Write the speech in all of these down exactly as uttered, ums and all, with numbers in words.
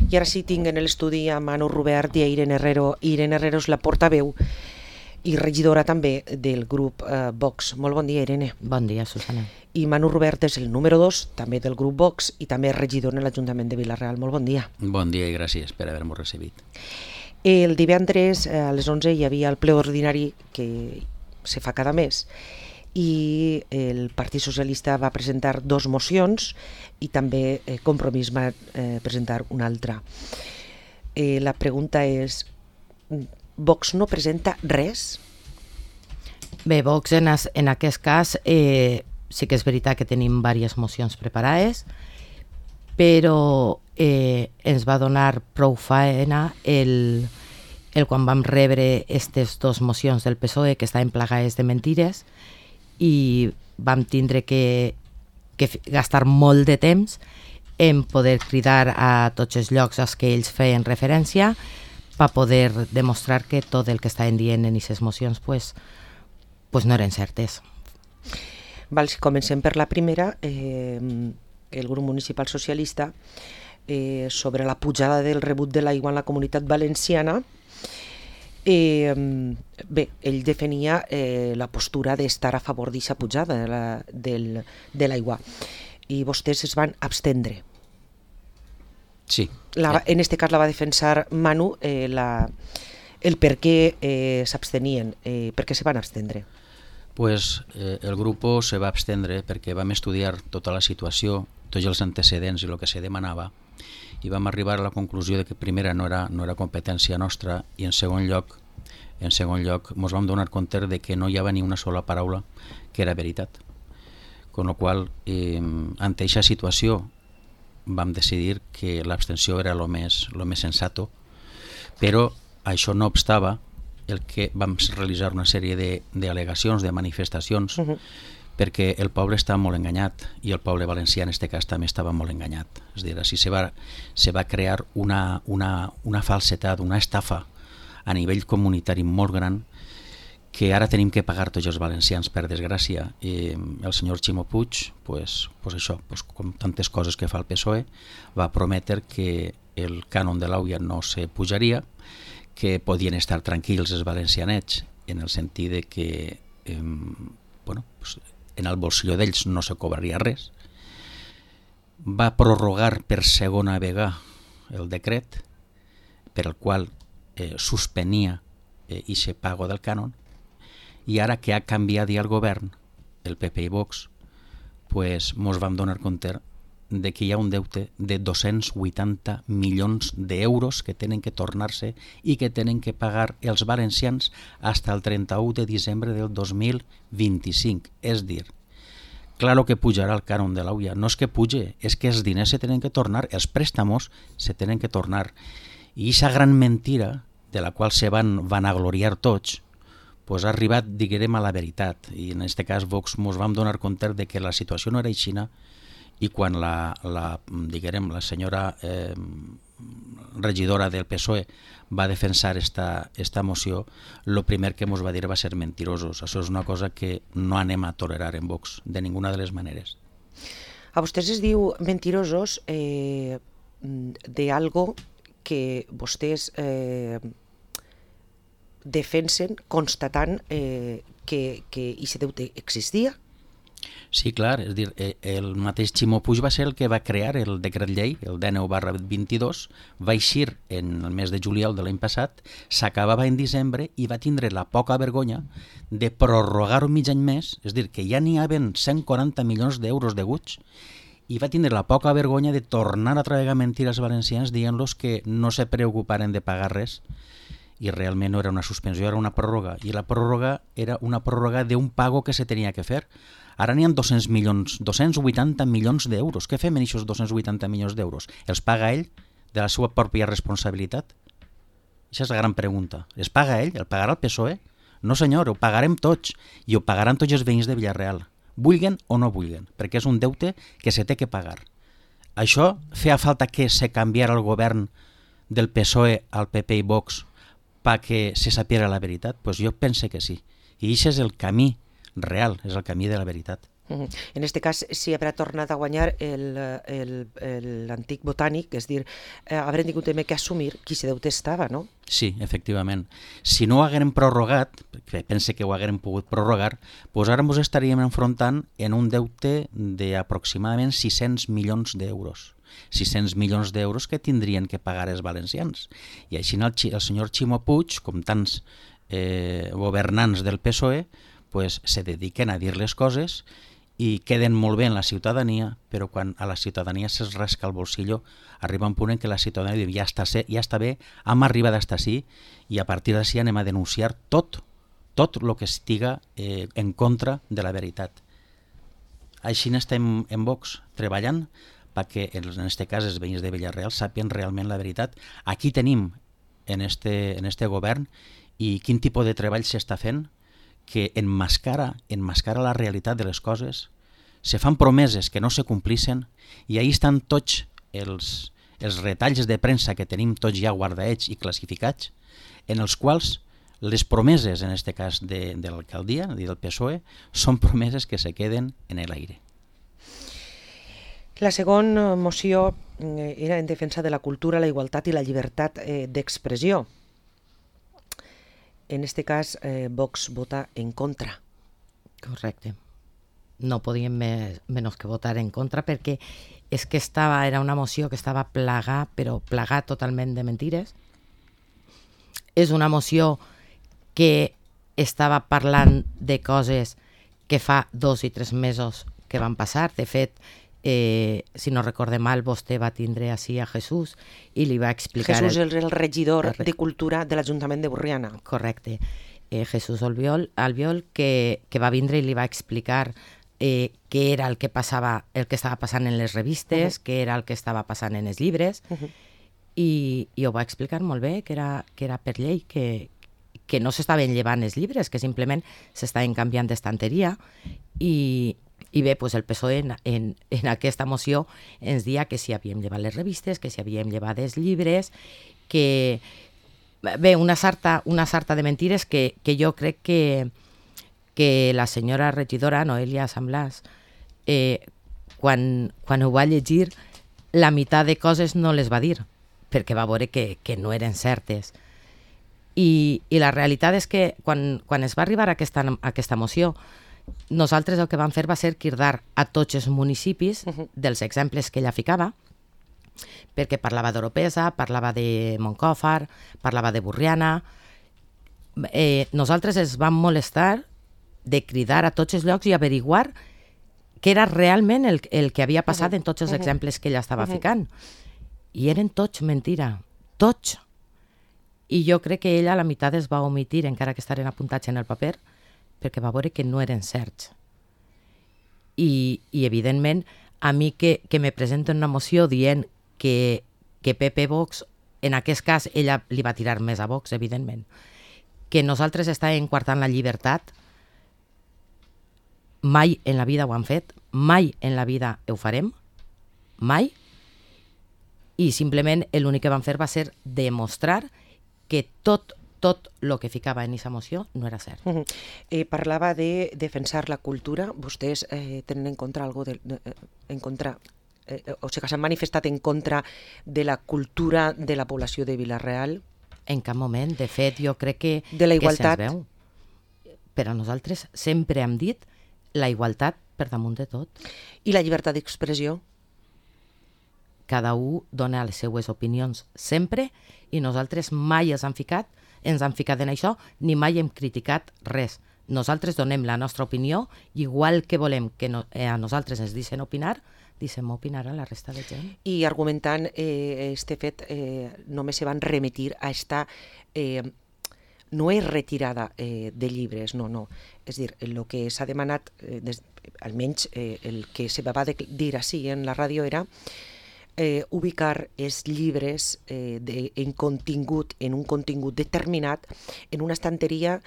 I ara sí tinc en l'estudi a Manu Rubert i a Irene Herrero. Irene Herrero és la portaveu i regidora també del grup eh, Vox. Molt bon dia, Irene. Bon dia, Susana. I Manu Rubert és el número dos, també del grup Vox, i també regidor en l'Ajuntament de Vila-real. Molt bon dia. Bon dia i gràcies per haver-m'ho recibit. El divendres a les onze hi havia el ple ordinari que se fa cada mes i el Partit Socialista va presentar dos mocions i també eh, Compromís va eh, presentar una altra. Eh, la pregunta és, Vox no presenta res? Bé, Vox en, es, en aquest cas eh, sí que és veritat que tenim diverses mocions preparades, però eh, ens va donar prou faena el, el quan vam rebre aquestes dues mocions del P S O E que estaven plagades de mentides i vam tindre que, que gastar molt de temps en poder cridar a tots els llocs als que ells feien referència per poder demostrar que tot el que estaven dient en aquestes mocions pues, pues no eren certes. Val, si comencem per la primera, eh, el grup municipal socialista eh, sobre la pujada del rebut de l'aigua en la Comunitat Valenciana. Eh, bé, ell defenia eh, la postura d'estar a favor d'aquesta pujada de la, del, de l'aigua i vostès es van abstendre. Sí. La, en este cas la va defensar Manu, eh, la, el per què eh, s'abstenien, eh, per què se van abstendre. Pues eh, el grup se va abstendre perquè vam estudiar tota la situació, tots els antecedents i el que se demanava, i vam arribar a la conclusió de que primera no era, no era competència nostra i en segon lloc en segon lloc ens vam donar compte de que no hi havia ni una sola paraula que era veritat. Con lo qual, eh, ante aquesta situació vam decidir que l'abstenció era el més, lo més sensato, però això no obstava el que vam realitzar una sèrie d'al·legacions, de, de manifestacions, uh-huh. perquè el poble està molt enganyat i el poble valencià en aquest cas també estava molt enganyat. És a dir, així se va, se va crear una, una, una falsetat, una estafa a nivell comunitari molt gran que ara tenim que pagar tots els valencians, per desgràcia. I el senyor Ximo Puig, pues, pues això, pues, com tantes coses que fa el P S O E, va prometre que el cànon de l'aigua no se pujaria, que podien estar tranquils els valencianets, en el sentit de que eh, bueno, pues, en el bolsillo d'ells no se cobraria res. Va prorrogar per segona vegada el decret per el qual eh, suspenia eh, ese pago del cànon, i ara que ha canviat ja el govern, el P P i Vox, pues mos vam donar compte de que hi ha un deute de dos-cents vuitanta milions d'euros que tenen que tornar-se i que tenen que pagar els valencians fins al trenta-u de desembre del dos mil vint-i-cinc. És dir, claro que pujarà el cànon de l'aigua, no és que puge, és que els diners se tenen que tornar, els préstamos se tenen que tornar. I aquesta gran mentira, de la qual se van vanagloriar tots, pues ha arribat, diguem, a la veritat. I en aquest cas Vox ens vam donar compte de que la situació no era aixina, i quan la, la, diguem, la senyora eh, regidora del P S O E va defensar esta, esta moció, el primer que ens va dir va ser mentirosos. Això és una cosa que no anem a tolerar en Vox, de ninguna de les maneres. A vostès es diu mentirosos eh, de algo que vostès eh, defensen constatant eh, que, que aquest deute existia? Sí, clar, és dir, el mateix Ximo Puig va ser el que va crear el decret llei, el dinou barra vint-i-dos, va eixir en el mes de juliol de l'any passat, s'acabava en desembre i va tindre la poca vergonya de prorrogar un mig any més, és dir, que ja n'hi havia cent quaranta milions d'euros deguts, i va tindre la poca vergonya de tornar a travegar mentires valencians dient-los que no se preocuparen de pagar res, i realment no era una suspensió, era una pròrroga, i la pròrroga era una pròrroga d'un pago que se tenia que fer. Ara n'hi ha dos-cents milions, dos-cents vuitanta milions d'euros. Què fem en aquests dos-cents vuitanta milions d'euros? Els paga ell de la seva pròpia responsabilitat? Aquesta és la gran pregunta. Es paga ell? El pagarà el P S O E? No senyor, ho pagarem tots i ho pagaran tots els veïns de Vila-real, vulguen o no vulguen, perquè és un deute que se té que pagar. Això feia falta que se canviara el govern del P S O E al P P i Vox perquè se sapiera la veritat? Pues jo pense que sí. I això és el camí real, és el camí de la veritat. En aquest cas, si haurà tornat a guanyar l'antic botànic, és dir, eh, haurem tingut també que assumir qui se deute estava, no? Sí, efectivament. Si no ho haguérem prorrogat, perquè pense que ho haguérem pogut prorrogar, doncs ara ens estaríem enfrontant en un deute d'aproximadament sis-cents milions d'euros. sis-cents milions d'euros que tindrien que pagar els valencians. I així el, el senyor Ximo Puig, com tants eh, governants del P S O E, pues, se dediquen a dir les coses i queden molt bé en la ciutadania, però quan a la ciutadania se'ls rasca el bolsillo, arriba un punt en què la ciutadania diu ja està, ja està bé, hem arribat a estar així i a partir d'ací anem a denunciar tot, tot el que estiga eh, en contra de la veritat. Així estem en Vox treballant perquè en aquest cas els veïns de Villarreal sàpien realment la veritat. Aquí tenim en este, en este govern i quin tipus de treball s'està fent que enmascara, enmascara la realitat de les coses, se fan promeses que no se complissin i ahí estan tots els, els retalls de premsa que tenim tots ja guardaets i classificats, en els quals les promeses, en aquest cas de, de l'alcaldia, del P S O E, són promeses que se queden en l'aire. La segona moció era en defensa de la cultura, la igualtat i la llibertat eh, d'expressió. En este cas, eh, Vox vota en contra. Correcte. No podíem més, menys que votar en contra perquè és que estava, era una moció que estava plagada, però plagada totalment de mentires. És una moció que estava parlant de coses que fa dos i tres mesos que van passar. De fet, eh, si no recorde mal, vostè va tindre així a Jesús i li va explicar... Jesús és el, el regidor el... de Cultura de l'Ajuntament de Borriana. Correcte. Eh, Jesús Albiol, Albiol que, que va vindre i li va explicar eh, què era el que passava, el que estava passant en les revistes, uh-huh. què era el que estava passant en els llibres, uh-huh. i, i ho va explicar molt bé, que era, que era per llei, que, que no s'estaven llevant els llibres, que simplement s'estaven canviant d'estanteria, i... I bé, doncs el P S O E en, en, en aquesta moció ens dia que si havíem llevat les revistes, que si havíem llevat els llibres, que... Bé, una sarta, una sarta de mentires que, que jo crec que, que la senyora regidora, Noelia Samblàs, eh, quan, quan ho va llegir, la meitat de coses no les va dir, perquè va veure que, que no eren certes. I, i la realitat és que quan, quan es va arribar a aquesta, a aquesta moció, nosaltres el que vam fer va ser cridar a tots els municipis uh-huh. dels exemples que ella ficava, perquè parlava d'Oropesa, parlava de Montcòfar, parlava de Borriana. Eh, nosaltres ens vam molestar de cridar a tots els llocs i averiguar què era realment el, el que havia passat uh-huh. en tots els uh-huh. exemples que ella estava uh-huh. ficant. I eren tots mentira, tots. I jo crec que ella a la meitat es va omitir, encara que estaven apuntats en el paper, perquè va veure que no eren certs. I, i evidentment, a mi que, que me presenten una moció dient que, que P P Vox, en aquest cas, ella li va tirar més a Vox, evidentment, que nosaltres estàvem coartant la llibertat, mai en la vida ho han fet, mai en la vida ho farem, mai, i simplement l'únic que van fer va ser demostrar que tot tot el que ficava en aquesta moció no era cert. Uh-huh. eh, parlava de defensar la cultura. Vostès eh, tenen en contra algo de, de, en contra, eh, o sigui, s'han manifestat en contra de la cultura de la població de Vila-real? En cap moment. De fet, jo crec que, de la igualtat. Que se'ns veu. Però nosaltres sempre hem dit la igualtat per damunt de tot. I la llibertat d'expressió? Cada un dona les seues opinions sempre i nosaltres mai ens han ficat ens han ficat en això, ni mai hem criticat res. Nosaltres donem la nostra opinió, igual que volem que no, eh, a nosaltres ens deixen opinar, deixem opinar a la resta de gent. I argumentant eh, este fet, eh, només se van remitir a esta... Eh, no és retirada eh, de llibres, no, no. És dir, el que s'ha demanat, eh, des, almenys eh, el que se va dir així en la ràdio era Eh, ubicar els llibres eh, de, en contingut, en un contingut determinat, en una estanteria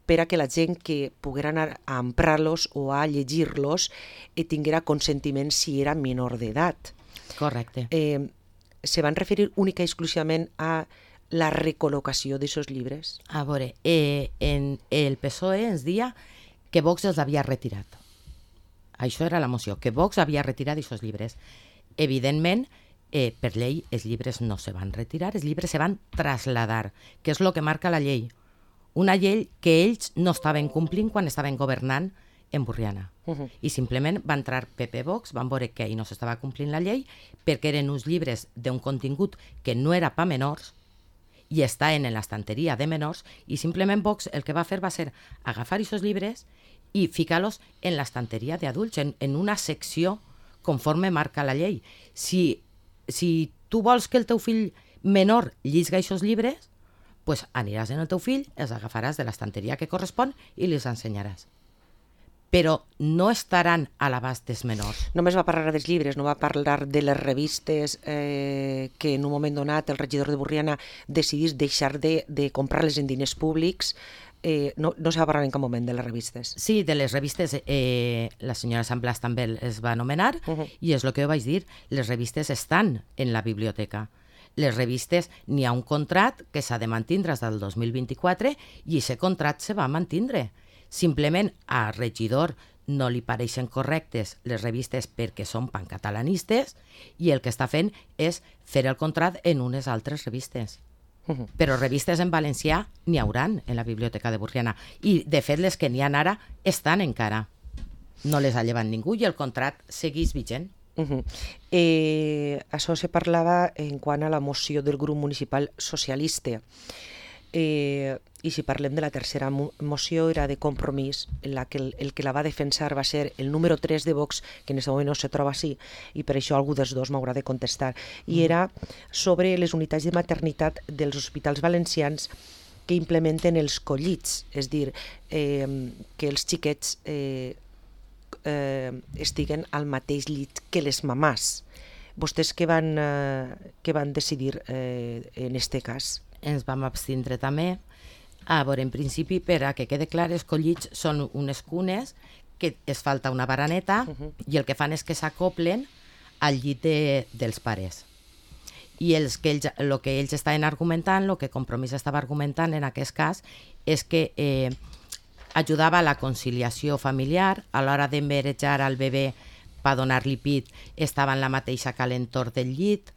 per a que la gent que poguera anar a emprar-los o a llegir-los eh, tinguera consentiment si era menor d'edat. Correcte. Eh, se van referir única i exclusivament a la recol·locació d'aquests llibres? A veure, eh, en el P S O E ens dia que Vox els havia retirat. Això era la moció, que Vox havia retirat aquests llibres. Evidentment, eh, per llei, els llibres no se van retirar, els llibres se van trasladar, que és el que marca la llei. Una llei que ells no estaven complint quan estaven governant en Borriana. Uh-huh. I simplement va entrar P P Vox, van veure que ahir no s'estava complint la llei perquè eren uns llibres d'un contingut que no era pa menors i estaven en l'estanteria de menors i simplement Vox el que va fer va ser agafar aquests llibres i ficar-los en l'estanteria d'adults, en, en una secció conforme marca la llei. Si, si tu vols que el teu fill menor llisga aquests llibres, pues aniràs en el teu fill, els agafaràs de l'estanteria que correspon i els ensenyaràs. Però no estaran a l'abast dels menors. Només va parlar dels llibres, no va parlar de les revistes eh, que en un moment donat el regidor de Borriana decidís deixar de, de comprar-les en diners públics. Eh, no, no se va parlar en cap moment de les revistes. Sí, de les revistes, eh, la senyora Sant Blas també es va anomenar, uh-huh. i és el que jo vaig dir, les revistes estan en la biblioteca. Les revistes, n'hi ha un contrat que s'ha de mantindre des del dos mil vint-i-quatre i aquest contrat se va mantindre. Simplement a regidor no li pareixen correctes les revistes perquè són pancatalanistes i el que està fent és fer el contrat en unes altres revistes. Uh-huh. Però revistes en valencià n'hi hauran en la biblioteca de Borriana i de fet les que n'hi ha ara estan encara. No les ha llevat ningú i el contrat segueix vigent. Uh-huh. Eh, això se parlava en quant a la moció del grup municipal socialista. Eh, I si parlem de la tercera mo- moció era de Compromís, en la que el, el que la va defensar va ser el número tres de Vox, que en aquest moment no se troba així, i per això algú dels dos m'haurà de contestar, i era sobre les unitats de maternitat dels hospitals valencians que implementen els collits, és dir, eh, que els xiquets eh, eh, estiguen al mateix llit que les mamàs. Vostès què van, eh, què van decidir eh, en este cas? Ens vam abstindre també. A veure, en principi, per a que quede clar, els collits són unes cunes que es falta una baraneta uh-huh. i el que fan és que s'acoplen al llit de, dels pares. I els que ells, el que ells estaven argumentant, el que Compromís estava argumentant en aquest cas, és que eh, ajudava a la conciliació familiar, a l'hora d'emberejar al bebè per donar-li pit, estava en la mateixa calentor del llit.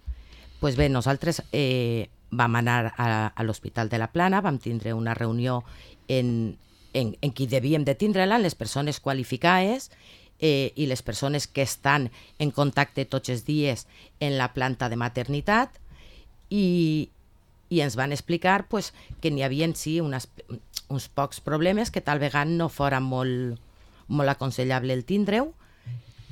Pues bé, nosaltres eh, vam anar a, a l'Hospital de la Plana, vam tindre una reunió en, en, en qui devíem de tindre-la, les persones qualificades eh, i les persones que estan en contacte tots els dies en la planta de maternitat i, i ens van explicar pues, que n'hi havia sí, unes, uns pocs problemes que tal vegada no fora molt, molt aconsellable el tindre-ho,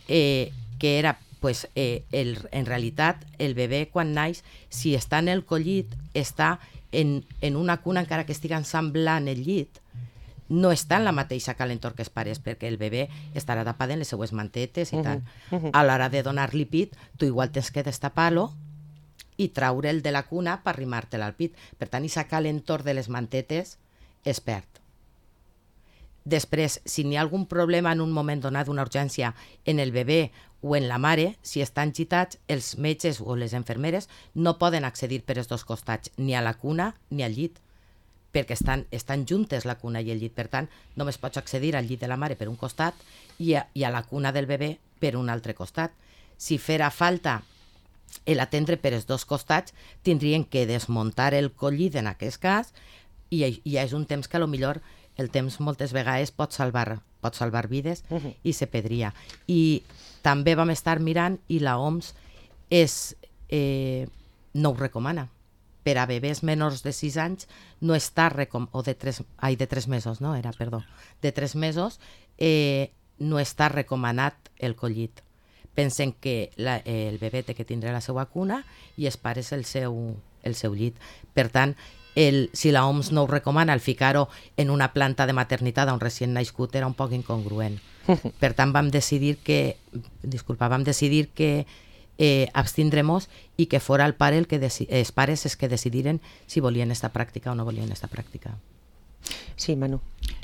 eh, que era pues, eh, el, en realitat el bebè quan naix, si està en el collit, està en, en una cuna encara que estigui semblant el llit, no està en la mateixa calentor que els pares, perquè el bebè estarà tapat en les seues mantetes i uh-huh. tal. Uh-huh. A l'hora de donar-li pit, tu igual tens que destapar-lo i traure'l de la cuna per arrimar-te'l al pit. Per tant, aquest calentor de les mantetes es perd. Després, si n'hi ha algun problema en un moment donat, una urgència en el bebè o en la mare, si estan gitats, els metges o les infermeres no poden accedir per els dos costats, ni a la cuna ni al llit, perquè estan, estan juntes la cuna i el llit. Per tant, només pots accedir al llit de la mare per un costat i a, i a la cuna del bebè per un altre costat. Si fera falta l'atendre per els dos costats, tindrien que desmuntar el collit en aquest cas i, i és un temps que potser el temps moltes vegades pot salvar, pot salvar vides uh-huh. i se pedria. I també vam estar mirant i la O M S és, eh, no ho recomana. Per a bebès menors de sis anys no està recom- o de tres, ai, de tres mesos, no era, perdó, de tres mesos eh, no està recomanat el collit. Pensen que la, eh, el bebè té que tindre la seva cuna i els pares el seu, el seu llit. Per tant, el, si la O M S no ho recomana, el ficar-ho en una planta de maternitat on recient nascut era un poc incongruent. Per tant, vam decidir que, disculpa, vam decidir que eh, abstindremos i que fora el pare el que deci- els pares els que decidiren si volien esta pràctica o no volien esta pràctica. Sí, Manu.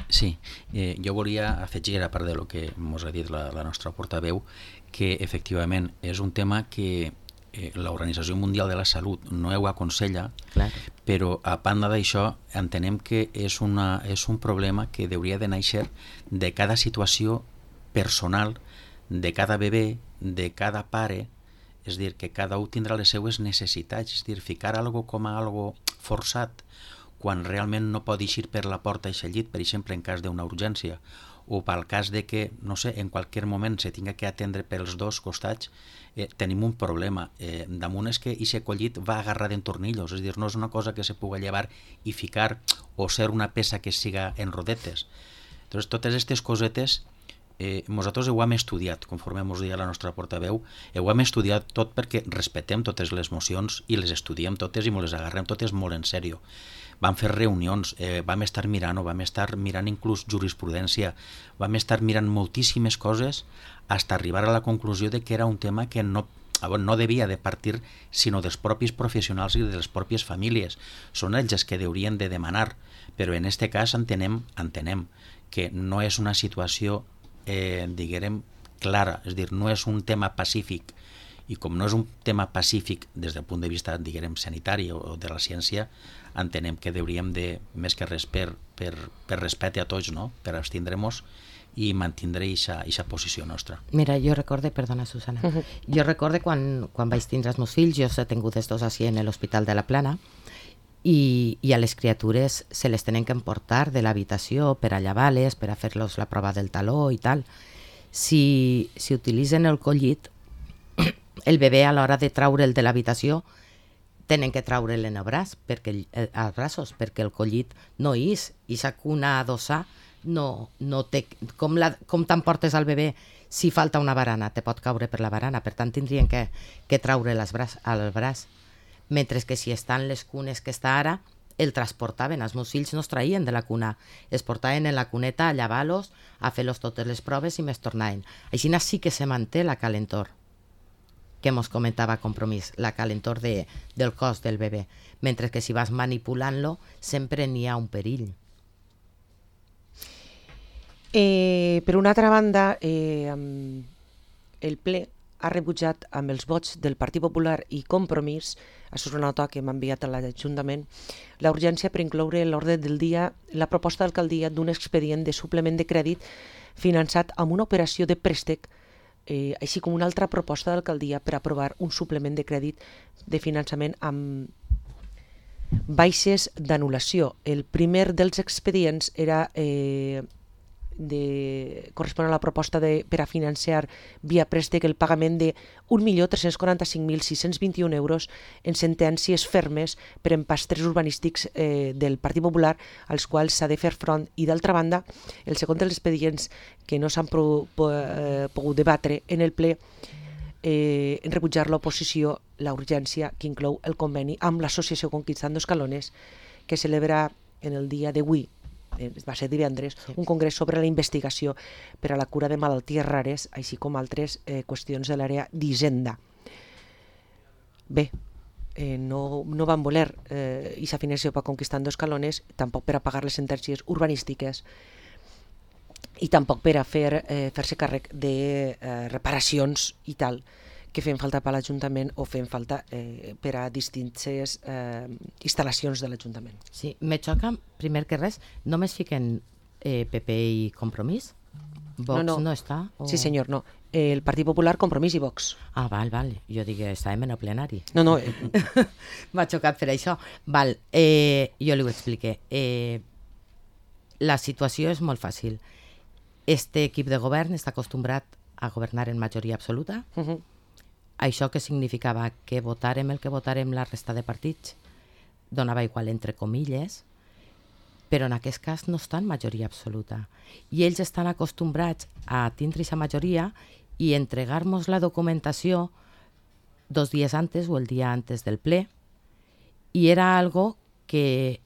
Sí, eh, jo volia afegir, a part de lo que ens ha dit la, la nostra portaveu, que efectivament és un tema que eh, l'Organització Mundial de la Salut no ho aconsella, Clar. però a banda d'això entenem que és, una, és un problema que hauria de néixer de cada situació personal de cada bebè, de cada pare, és dir, que cada un tindrà les seues necessitats, és dir, ficar algo com a algo forçat, quan realment no pot eixir per la porta i llit, per exemple, en cas d'una urgència, o pel cas de que, no sé, en qualsevol moment se tinga que atendre pels dos costats, eh, tenim un problema. Eh, damunt és que aquest collit va agarrar en tornillos, és dir, no és una cosa que se pugui llevar i ficar o ser una peça que siga en rodetes. Entonces, totes aquestes cosetes, eh, nosaltres ho hem estudiat, conforme ens deia la nostra portaveu, ho hem estudiat tot perquè respetem totes les mocions i les estudiem totes i ens les agarrem totes molt en sèrio. Vam fer reunions, eh, vam estar mirant, vam estar mirant inclús jurisprudència, vam estar mirant moltíssimes coses fins a arribar a la conclusió de que era un tema que no, no devia de partir sinó dels propis professionals i de les pròpies famílies. Són ells els que haurien de demanar, però en aquest cas entenem, entenem que no és una situació, eh, diguem, clara, és a dir, no és un tema pacífic, i com no és un tema pacífic des del punt de vista, diguem, sanitari o de la ciència, entenem que hauríem de, més que res per, per, per respecte a tots, no? Per abstindre-nos i mantindre aquesta posició nostra. Mira, jo recorde, perdona Susana, uh -huh. jo recorde quan, quan vaig tindre els meus fills, jo he tingut els dos així en l'Hospital de la Plana, i, i a les criatures se les tenen que emportar de l'habitació per a llevar-les, per a fer-los la prova del taló i tal. Si, si utilitzen el collit, el bebè a l'hora de traure'l de l'habitació tenen que traure'l en el braç, perquè, eh, als braços, perquè el collit no és, i sa cuna adossar no, no té, com, la, com t'emportes al bebè si falta una barana, te pot caure per la barana, per tant tindrien que, que traure'l al braç, al braç, mentre que si estan les cunes que està ara, el transportaven, els meus fills no es traïen de la cuna, es portaven en la cuneta a llevar-los, a fer-los totes les proves i més tornaven. Així sí que se manté la calentor, que mos comentava Compromís, la calentor de, del cos del bebè, mentre que si vas manipulant-lo sempre n'hi ha un perill. Eh, per una altra banda, eh, el ple ha rebutjat amb els vots del Partit Popular i Compromís, això és una nota que m'ha enviat a l'Ajuntament, la urgència per incloure a l'ordre del dia la proposta d'alcaldia d'un expedient de suplement de crèdit finançat amb una operació de préstec, eh, així com una altra proposta d'alcaldia per aprovar un suplement de crèdit de finançament amb baixes d'anul·lació. El primer dels expedients era... Eh, de, correspon a la proposta de, per a financiar via préstec el pagament de un milió tres-cents quaranta-cinc mil sis-cents vint-i-un euros en sentències fermes per empastres urbanístics eh, del Partit Popular als quals s'ha de fer front, i d'altra banda el segon dels expedients que no s'han pro, po, eh, pogut debatre en el ple eh, en rebutjar l'oposició la urgència que inclou el conveni amb l'associació Conquistando Escalones que celebra en el dia d'avui, va ser divendres, sí. un congrés sobre la investigació per a la cura de malalties rares, així com altres eh, qüestions de l'àrea d'Hisenda. Bé, eh, no, no van voler eh, aquesta financiació per Conquistando Escalones, tampoc per a pagar les sentències urbanístiques i tampoc per a fer, eh, fer-se càrrec de eh, reparacions i tal, que feien falta per l'Ajuntament o feien falta eh, per a distintes eh, instal·lacions de l'Ajuntament. Sí, me xoca, primer que res, només fiquen eh, P P i Compromís? Vox no, no. no està? O... Sí, senyor, no. El Partit Popular, Compromís i Vox. Ah, val, val. Jo dic que estàvem en el plenari. No, no. Eh... M'ha xocat per això. Val, eh, jo li ho expliqué. Eh, la situació és molt fàcil. Este equip de govern està acostumbrat a governar en majoria absoluta. Uh -huh. Això que significava que votarem el que votarem la resta de partits donava igual entre comilles, però en aquest cas no està en majoria absoluta. I ells estan acostumbrats a tindre aquesta majoria i entregar-nos la documentació dos dies antes o el dia antes del ple, i era algo que,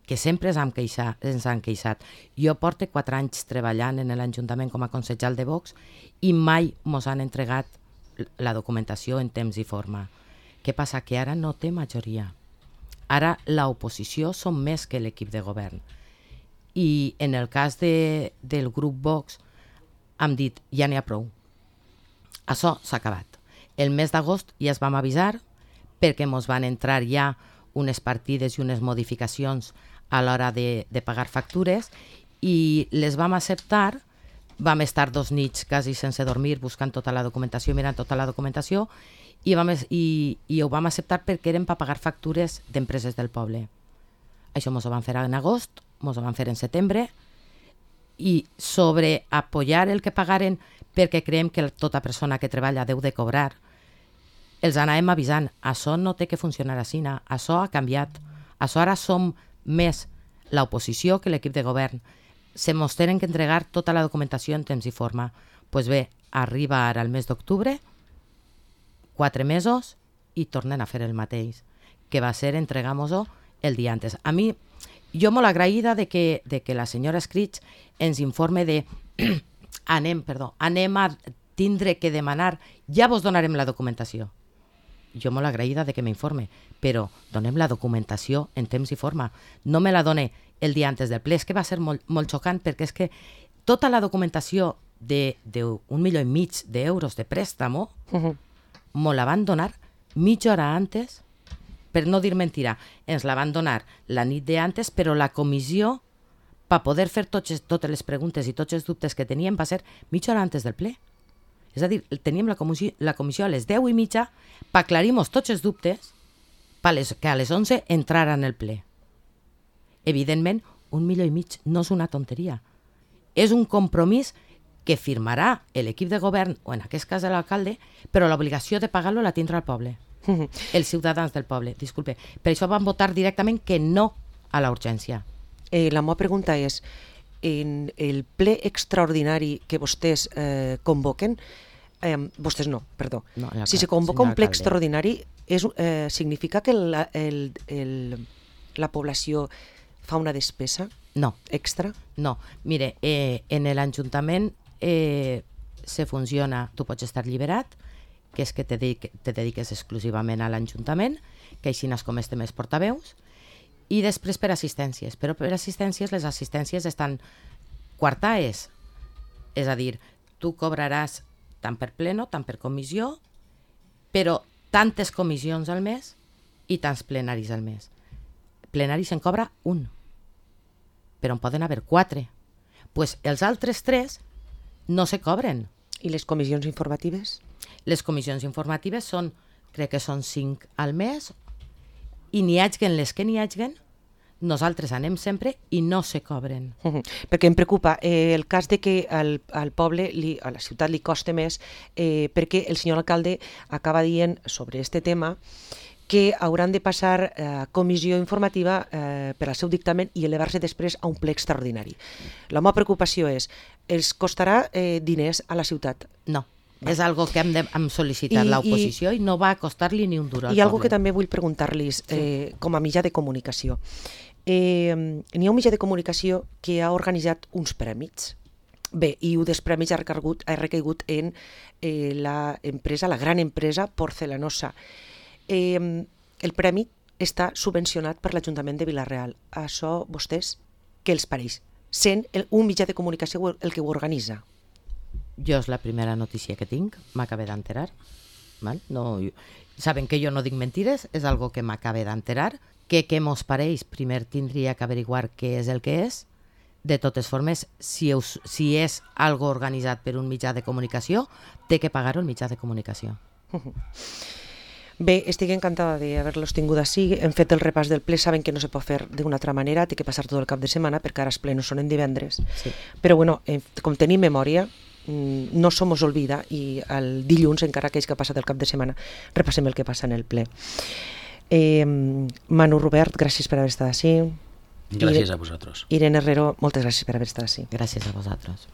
que sempre ens han, queixat, ens han queixat. Jo porto quatre anys treballant en l'Ajuntament com a consellera de Vox i mai mos han entregat la documentació en temps i forma. Què passa? Que ara no té majoria. Ara l'oposició són més que l'equip de govern. I en el cas de, del grup Vox hem dit, ja n'hi ha prou. Això s'ha acabat. El mes d'agost ja es vam avisar perquè mos van entrar ja unes partides i unes modificacions a l'hora de, de pagar factures i les vam acceptar vam estar dos nits quasi sense dormir buscant tota la documentació, mirant tota la documentació, i, vam, i, i ho vam acceptar perquè eren per pagar factures d'empreses del poble. Això mos ho van fer en agost, mos ho van fer en setembre, i sobre apoyar el que pagaren perquè creiem que tota persona que treballa deu de cobrar, els anàvem avisant, això no té que funcionar així, això ha canviat, això ara som més l'oposició que l'equip de govern, se mos tenen que entregar tota la documentació en temps i forma. Doncs pues bé, arriba ara el mes d'octubre, quatre mesos, i tornen a fer el mateix, que va ser entregar-nos-ho el dia antes. A mi, jo molt agraïda de que, de que la senyora Escrits ens informe de anem, perdó, anem a tindre que demanar, ja vos donarem la documentació. Jo molt agraïda de que m'informe, però donem la documentació en temps i forma. No me la done el dia antes del ple. És que va ser molt, molt xocant, perquè és que tota la documentació d'un milió i mig d'euros de préstamo uh-huh. me la van donar mitja hora antes, per no dir mentira. Ens la van donar la nit d'antes, però la comissió, per poder fer totes, totes les preguntes i tots els dubtes que teníem, va ser mitja hora antes del ple. És a dir, teníem la comissió, la comissió a les deu i mitja per aclarir-nos tots els dubtes per les, que a les onze entraran el ple. Evidentment, un milió i mig no és una tonteria. És un compromís que firmarà l'equip de govern, o en aquest cas l'alcalde, però l'obligació de pagar-lo la tindrà el poble, els ciutadans del poble, disculpe. Per això van votar directament que no a la urgència. Eh, la meva pregunta és, en el ple extraordinari que vostès eh, convoquen, eh, vostès no, perdó, no, la, si se convoca un ple alcalde. extraordinari, és, eh, significa que la, el, el, la població fa una despesa no. extra? No, mire, eh, en l'Ajuntament eh, se funciona, tu pots estar lliberat, que és que te, dedique, te dediques exclusivament a l'Ajuntament, que així n'has com estem els portaveus, i després per assistències. Però per assistències, les assistències estan quartades. És a dir, tu cobraràs tant per pleno, tant per comissió, però tantes comissions al mes i tants plenaris al mes. Plenaris se'n cobra un, però en poden haver quatre. Pues els altres tres no se cobren. I les comissions informatives? Les comissions informatives són, crec que són cinc al mes, i n'hi haguen les que n'hi haguen, nosaltres anem sempre i no se cobren. Uh-huh. Perquè em preocupa eh, el cas de que al, al poble, li, a la ciutat li costa més, eh, perquè el senyor alcalde acaba dient sobre este tema que hauran de passar eh, comissió informativa eh, per al seu dictamen i elevar-se després a un ple extraordinari. La meva preocupació és, els costarà eh, diners a la ciutat? No. Va. És algo que hem de hem sol·licitat l'oposició i, i no va costar-li ni un duro al poble. I algo que també vull preguntar-los eh, sí. com a mitjà de comunicació. Eh, n'hi ha un mitjà de comunicació que ha organitzat uns prèmits. Bé, i un dels prèmits ha recaigut, ha recaigut en eh, la empresa, la gran empresa Porcelanosa. Eh, el premi està subvencionat per l'Ajuntament de Vila-real. Això, vostès, què els pareix? Sent el, un mitjà de comunicació el que ho organitza. Jo és la primera notícia que tinc, m'acabé d'enterar. No, saben que jo no dic mentires, és algo que m'acabé d'enterar. Que què mos pareix? Primer tindria que averiguar què és el que és. De totes formes, si, us, si és algo organitzat per un mitjà de comunicació, té que pagar-ho el mitjà de comunicació. Bé, estic encantada d'haver-los tingut així. Hem fet el repàs del ple, saben que no se pot fer d'una altra manera, té que passar tot el cap de setmana, perquè ara els plenos són en divendres. Sí. Però bueno, eh, com tenim memòria, no se mos olvida i el dilluns, encara aquells que ha passat el cap de setmana, repassem el que passa en el ple. Eh, Manu Robert, gràcies per haver estat així. Gràcies a vosaltres. Irene Herrero, moltes gràcies per haver estat així. Gràcies a vosaltres.